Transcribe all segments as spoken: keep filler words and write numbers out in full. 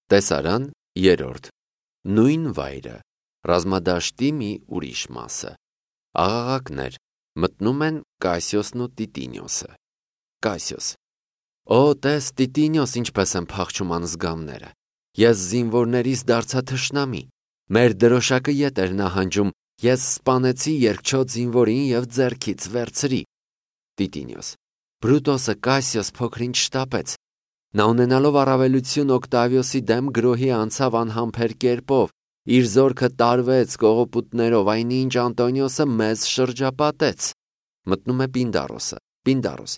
Տեսարան երրորդ Նույն վայրը Ռազմադաշտի մի ուրիշ մասը Աղաղակներ Մտնում են Կասիոսն ու Տիտինիոսը Կասիոս Օ տես Տիտինիոս ինչպես են փախչում անզգամները Ես զինվորներիս դարձա թշնամի Մեր դրոշակը ետ էր նահանջում Ես սպանեցի երկչոտ զինվորին և ձեռքից վերցրի Տիտինիոս Բրուտոսը Կասիոս փոքրինչ շտապեց Նա ունենալով առավելություն Օկտավիոսի դեմ գրոհի անցավ անհամբեր կերպով Իր զորքը տարվեց կողոպուտներով այնինչ Անտոնիոսը մեզ շրջապատեց Մտնում է Պինդարոսը Պինդարոս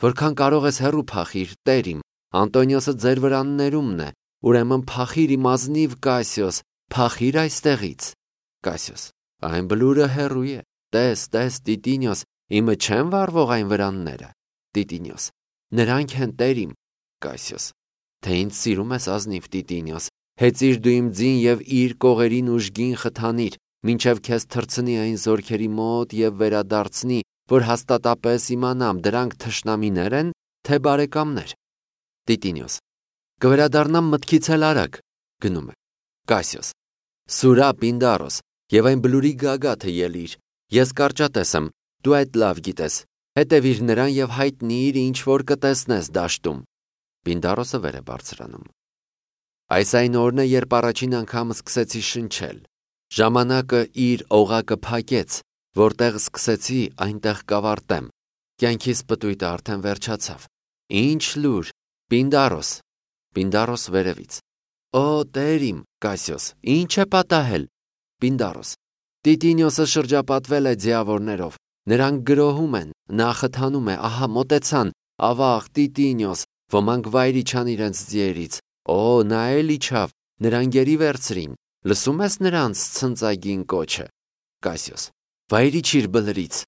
Որքան կարող ես հեռու փախիր տեր իմ Անտոնիոսը ձեր վրաններումն է Ուրեմն փախիր իմ ազնիվ Կասիոս Փախիր այստեղից Կասիոս Այն բլուրը հեռու է Տես տես Տիտինիոս Իմը չեն վառվող այն վրանները Տիտինիոս Նրանք են տեր իմ Կասիոս Թե ինձ սիրում ես ազնիվ Տիտինիոս Հեծիր դու իմ ձին և իր կողերին ուժգին խթանիր Մինչև քեզ թռցնի այն զորքերի մոտ և վերադարձնի Որ հաստատապես իմանամ դրանք թշնամիներ են թե բարեկամներ Տիտինիոս Կվերադառնամ մտքից էլ արագ Գնում է Կասիոս Սուրա Պինդարոս Եվ այն բլուրի գագաթը ելիր Ես կարճատես եմ Դու այդ լավ գիտես Հետևիր նրան և հայտնիր ինչ որ կտեսնես դաշտում Պինդարոսը վեր է բարձրանում Այս այն օրն է երբ առաջին անգամ սկսեցի շնչել Ժամանակը իր օղակը փակեց Որտեղ սկսեցի այնտեղ կավարտեմ Կյանքիս պտույտը արդեն վերջացավ Ինչ լուր Պինդարոս Պինդարոս վերևից Օ տեր իմ Կասիոս Ինչ է պատահել Պինդարոս Տիտինիոսը շրջապատվել է ձիավորներով Նրանք գրոհում են Նա խթանում է Ահա մոտեցան Ավաղ Տիտինիոս Ոմանք վայր իջան իրենց ձիերից Օ նա էլ իջավ Նրան գերի վերցրին Լսում ես նրանց ցնծագին կոչը Կասիոս Վայր իջիր բլրից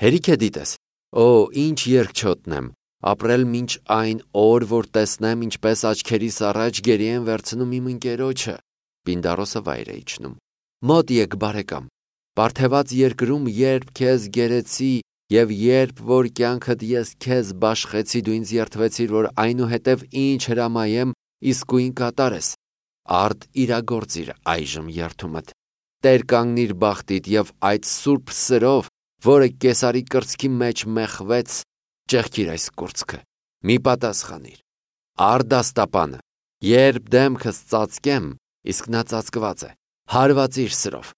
Հերիք է դիտես Օ ինչ երկչոտն եմ Ապրել մինչ այն օր որ տեսնեմ ինչպես աչքերիս առաջ գերի են վերցնում իմ ընկերոջը Պինդարոսը վայր է իջնում Մոտ եկ բարեկամ Պարթեված երկրում երբ քեզ գերեցի Եվ երբ որ կյանքդ ես քեզ բաշխեցի Դու ինձ երդվեցիր որ այնուհետև ինչ հրամայեմ իսկույն կատարես Արդ իրագործիր այժմ երդումդ Տեր կանգնիր բախտիդ և այդ սուրբ սրով Որը կեսարի կրծքի մեջ մեխվեց Ճեղքիր այս կուրծքը Մի պատասխանիր Արդ աստապանը Երբ դեմքս ծածկեմ Իսկ նա ծածկված է Հարվածիր սրով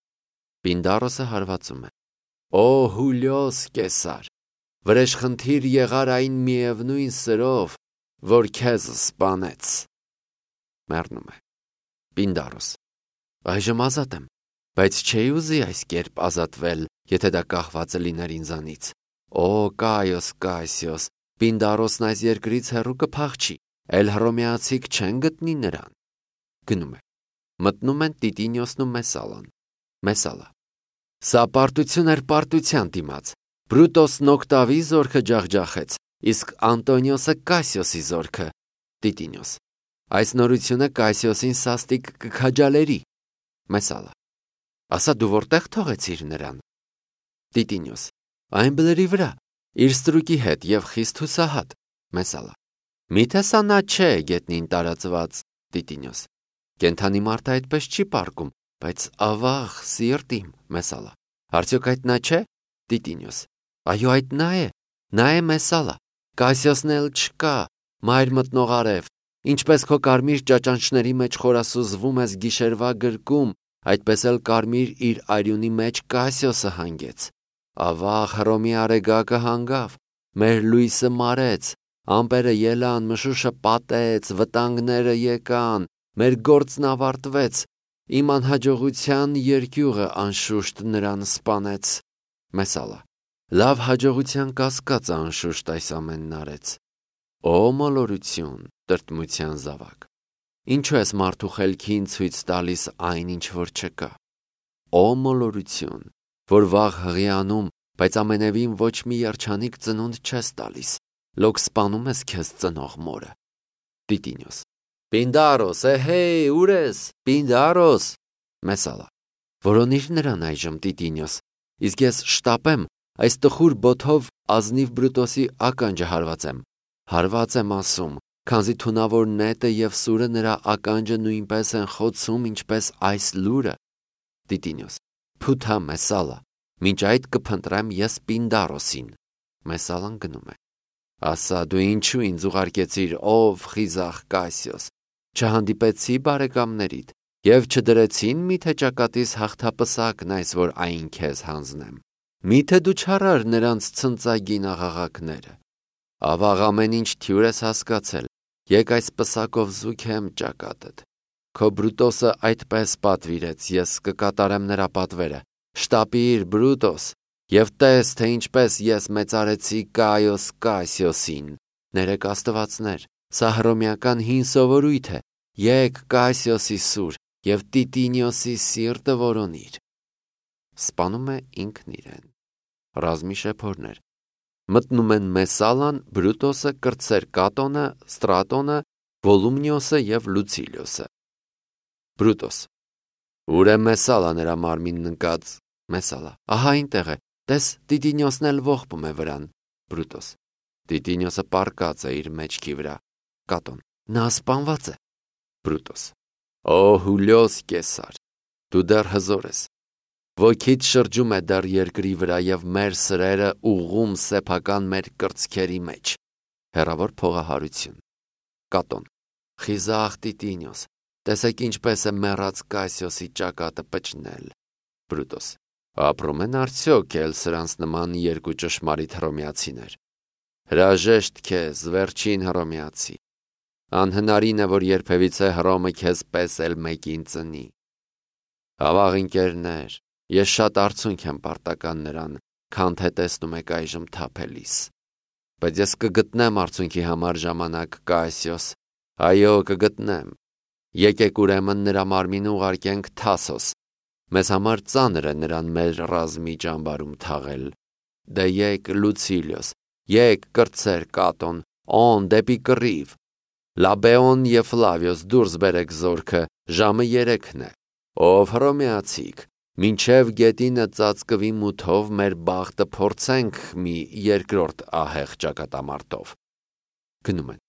Պինդարոսը հարվածում է Օ Հուլիոս կեսար Վրեժխնդիր եղար այն միևնույն սրով Որ քեզ սպանեց Մեռնում է Պինդարոս Այժմ ազատ եմ Բայց չէի ուզի այս կերպ ազատվել Եթե դա կախված լիներ ինձանից Օ Կայոս Կասիոս Պինդարոսն այս երկրից հեռու կփախչի Էլ հռոմեացիք չեն գտնի նրան Գնում է Մտնում են Տիտինիոսն ու Մեսալան Մեսալա Սա պարտություն էր պարտության դիմաց Բրուտոսն Օկտավի զորքը ջախջախեց Իսկ Անտոնիոսը Կասիոսի զորքը Տիտինիոս Այս նորությունը Կասիոսին սաստիկ կքաջալերի Մեսալա Ասա դու որտեղ թողեցիր նրան Տիտինիոս Այն բլրի վրա Իր ստրուկի հետ և խիստ հուսահատ Մեսալա Միթե սա նա չէ գետնին տարածված Տիտինիոս Կենդանի մարդը այդպես չի պառկում Բայց ավաղ սիրտ իմ Մեսալա Արդյոք այդ նա չէ Տիտինիոս Այո այդ նա է Նա է Մեսալա Կասիոսն էլ չկա Մայր մտնող արև Ինչպես քո կարմիր ճաճանչների մեջ խորասուզվում ես գիշերվա գրկում Այդպես էլ կարմիր իր արյունի մեջ Կասիոսը հանգեց Ավաղ Հռոմի արեգակը հանգավ Մեր լույսը մարեց Ամպերը ելան մշուշը պատեց Վտանգները եկան Մեր գործն ավարտվեց Իմ անհաջողության երկյուղը անշուշտ նրան սպանեց Մեսալա Լավ հաջողության կասկածը անշուշտ այս ամենն արեց Օ մոլորություն տրտմության զավակ Ինչու ես մարդու խելքին ցույց տալիս այն ինչ որ չկա Օ մոլորություն որ վաղ հղիանում բայց ամենևին ոչ մի երջանիկ ծնունդ չես տալիս Լոք սպանում ես քեզ ծնող մորը Տիտինիոս Պինդարոս էհեյ ուր ես Պինդարոս Մեսալա Որոնիր նրան այժմ Տիտինիոս Իսկ ես շտապեմ այս տխուր բոթով ազնիվ Բրուտոսի ականջը հարվածեմ Հարված եմ ասում քանզի թունավոր նետը եւ սուրը նրա ականջը նույնպես են խոցում, ինչպես այս լուրը։ Տիտինոս. Փութա Մեսալա, մինչ այդ կփնտրեմ ես Պինդարոսին։ Մեսալան գնում է։ Ասա, դու ինչու ինձ ուղարկեցիր, ով խիզախ Կասիոս, չհանդիպեցի բարեկամներիդ եւ չդրեցին միթե ճակատիս հաղթապսակն այս, որ այն քեզ հանձնեմ։ Միթե դու չարար նրանց ցնծագին աղաղակները։ Ավաղ ամեն ինչ թյուր ես հասկացել, եկ այս պսակով զուգեմ ճակատդ։ Քո Բրուտոսը այդպես պատվիրեց, ես կկատարեմ նրա պատվերը։ Շտապիր, Բրուտոս, եւ տես, թե ինչպես ես մեծարեցի Կայոս Կասիոսին։ Ներեք աստվածներ, սա հռոմեական հին սովորույթ է։ Եկ Կասիոսի սուր եւ Տիտինիոսի սիրտը որոնիր։ Սպանում է ինքն իրեն։ Ռազմի շեփորներ։ Մտնում են Մեսալան, Բրուտոսը, կրտսեր Կատոնը, Ստրատոնը, Վոլումնիոսը եւ Լուցիլիոսը։ Բրուտոս. Ուր է Մեսալա նրա մարմինն ընկած։ Մեսալա. Ահա այնտեղ է, տես Տիտինիոսն էլ ողբում է վրան։ Բրուտոս. Տիտինիոսը պառկած է իր մեջքի վրա։ Կատոն. Նա սպանված է։ Բրուտոս. Օ Հուլիոս Կեսար, դու դեռ հզոր ես։ Ոգիդ շրջում է դեռ երկրի վրա եւ մեր սրերը ուղում սեփական մեր կրծքերի մեջ։ Հեռավոր փողահարություն։ Կատոն. Խիզախ Տիտինիոս, տեսեք ինչպես է մեռած Կասիոսի ճակատը պճնել։ Բրուտոս. Ապրում են արդյոք էլ սրանց նման երկու ճշմարիտ հռոմեացիներ։ Հրաժեշտ քեզ, վերջին հռոմեացի։ Անհնարին է, որ երբևիցե Հռոմը քեզ պես էլ մեկին ծնի։ Ավաղ ընկերներ, ես շատ արցունք եմ պարտական նրան, քան թե տեսնում եք այժմ թափելիս։ Բայց ես կգտնեմ արցունքի համար ժամանակ Կասիոս, այո, կգտնեմ։ Եկեք ուրեմն նրա մարմինը ուղարկենք Թասոս։ Մեզ համար ծանր է նրան մեր ռազմի ճամբարում թաղել։ Դե եկ Լուցիլիոս, եկ կրտսեր Կատոն, օն դեպի կռիվ։ Լաբեոն եւ Ֆլավիոս դուրս բերեք զորքը, ժամը երեքն է։ Ով հռոմեացիք, մինչև գետինը ծածկվի մութով մեր բախտը փորձենք մի երկրորդ ահեղ ճակատամարտով։ Գնում են։